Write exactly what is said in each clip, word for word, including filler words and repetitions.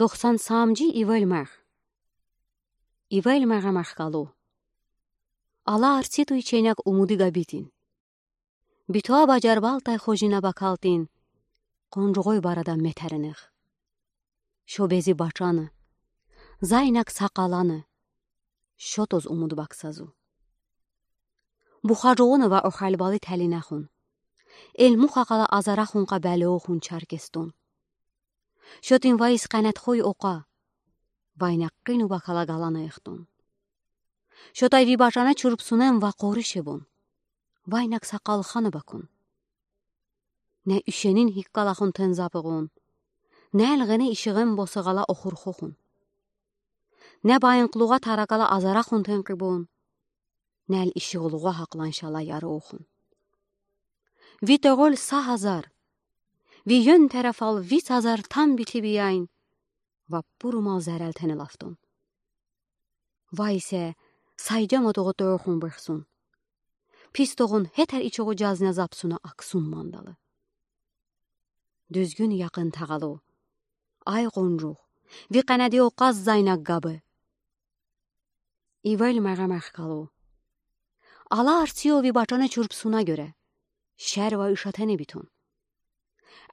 Дохсан саамжи ивель мегъ. Ивель мегъа мехкалу. Ала арци туй ченек умуди габитин. Битуа бажарбалтай хожина бакалтин, къунжугъой барада метеринех. Шо бези бачаны, зайнак сакъаланы, шо тоз умуд баксазу. Бухажугъуна ва охалбали талинахун. Элмух акъала азарахун къабалеохун Черкестон. Шотин вайис къанатхой окъа. Вайнак къину бакала галана эхтун. Шотай ви бачана чурпсунем ва къоришебун. Вайнак сакъал хана бакун. Не ишенин хиккалахун тензапыгъун. Не элгъени ишигъем босагъала охурхохун. Не байынклугъа таракала азарахун тенкъибун. Нел ишигълугъа хакъланшала ярохун. Ви тёгъол са азар. Ви ён тарафал виц азар там битибияйн. Ва пурумал зарал тенелафтун. Вайсе сайдяма тогъу тоохун бехсун. Пис тогъун хетер ичугъу жазна запсуна аксун мандалы. Дуьзгюн якъын тагъалу. Ай къунжух, ви къанади окъаз зайнак габы. Ивель мегъа мехкалу. Ала арцио ви бачана чурпсуна гёре. Шер ва ишатене битун.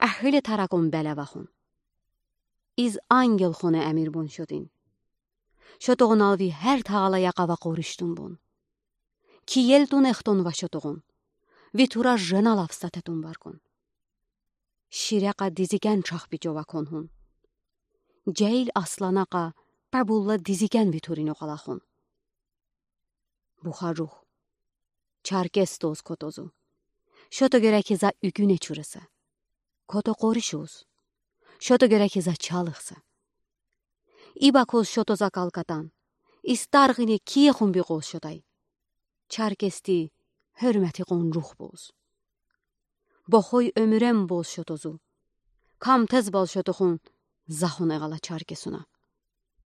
Эхили таракун белевахун. Из ангел хуна эмирбун шотин. Шотогъунал ви хер тагъала якъа ва къориштунбун. Киелтун эхтун ва шотогъун. Ви тура жена лафста тетун баркун. Ширекъа дизикен чахпи жова конхун. Жаил асланакъа пабулла дизикен ви турин окъалахун. Бухажух. Черкес тоз котозу. Шото герек за уьгюне чураса. Кото къоришуз. Шото герек за чалыхса. Ибакоз шотоза калкатан. Истаргъине киехун бикъоз шотай. Черкести хёрмети къунжух боз. Бохой оьмюрем боз шотозу. Камтез бал шотохун захун эгъала Черкесуна.